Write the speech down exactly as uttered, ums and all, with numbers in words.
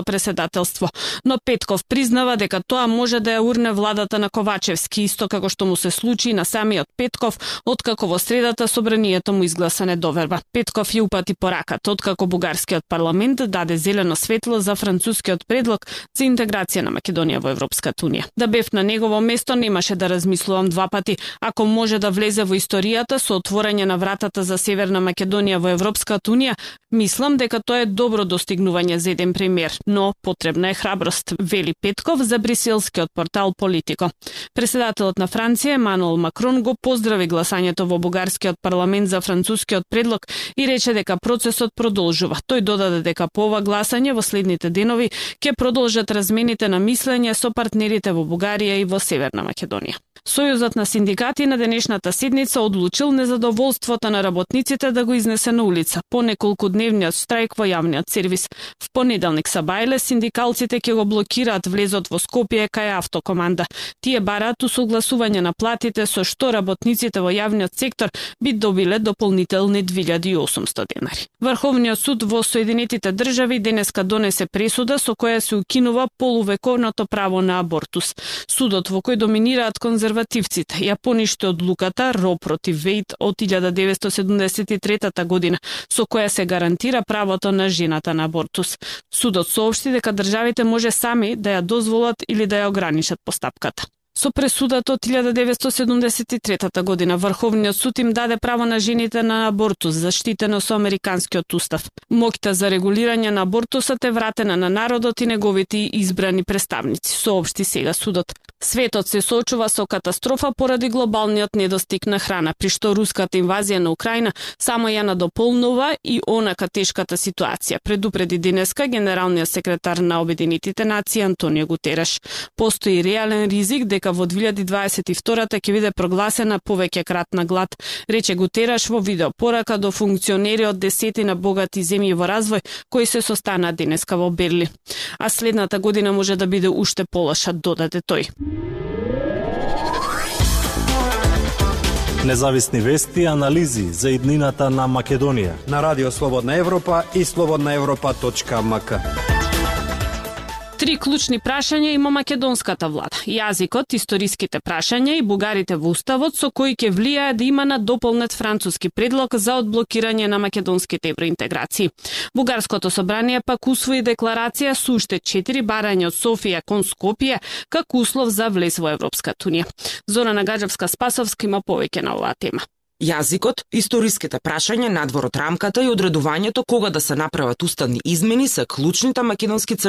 преседателство. Но Петков признава дека тоа може да ја урне владата на Ковачевски, исто како што му се случи на самиот Петков, откако во средата собранието му изгласа недоверба. Петков ја упати пораката, откако бугарскиот парламент даде зелено светло за францускиот предлог за интеграција на Македонија во Европската унија. Да бев на негово место, немаше да размислувам два пати. Ако може да влезе во историјата со отворање на вратата за Северна Македонија во Европската унија, мислам дека тоа е добро достигнување за еден премиер, но потребна е храброст, вели Петков за бриселскиот портал Политико. Преседателот на Франција Емануел Макрон го поздрави гласањето во бугарскиот парламент за францускиот предлог и рече дека процесот продолжува. Тој додаде дека по ова гласање во следните денови ќе продолжат размените на мислење со партнерите во Бугарија и во Северна Македонија. Сојузот на синдикати на денешната седница одлучил незадоволството на работниците да го изнесе на улица по неколкудневниот штрајк во јавниот сервис. В понеделник са бајле синдикалците ќе го блокираат влезот во Скопје кај Автокоманда. Тие бараат усогласување на платите со што работниците во јавниот сектор би добиле дополнителни две илјади и осумстотини денари. Врховниот суд во Соединетите држави денеска донесе пресуда со која се укинува полувековното право на абортус. Судот во кој доминираат конзервативците ја поништи одлуката Ро против Вејд од илјада деветстотини седумдесет и трета година, со која се гарантира правото на жената на абортус. Судот соопшти дека државите може сами да ја дозволат или да ја ограничат постапката. Со пресудата од илјада деветстотини седумдесет и трета година Врховниот суд им даде право на жените на абортус, заштитено со американскиот устав. Моќта за регулирање на абортусот е вратена на народот и неговите избрани представници, соопшти сега судот. Светот се соочува со катастрофа поради глобалниот недостиг на храна, при што руската инвазија на Украина само ја надополнува и онака тешката ситуација, предупреди денеска генералниот секретар на Обединетите нации Антонио Гутереш. Постои реален ризик дека во две илјади дваесет и втора ќе биде прогласена повеќе кратна глад, рече Гутереш во видеопорака до функционери од десетина богати земји во развој кои се состанаа денеска во Берлин. А следната година може да биде уште полоша, додаде тој. Независни вести и анализи за иднината на Македонија на Радио Слободна Европа и слободна европа точка ем ка. Три клучни прашања има македонската влада. Јазикот, историските прашања и бугарите во уставот со кои ќе влијае да има на дополнет француски предлог за одблокирање на македонските евроинтеграции. Бугарското собрание пак усвои декларација со уште четири барања од Софија кон Скопје како услов за влез во Европската унија. Зорана Гаджевска-Спасовска има повеќе на оваа тема. Јазикот, историските прашања, надвор од рамката и одредувањето кога да се направат уставни измени се клучните македонски црвени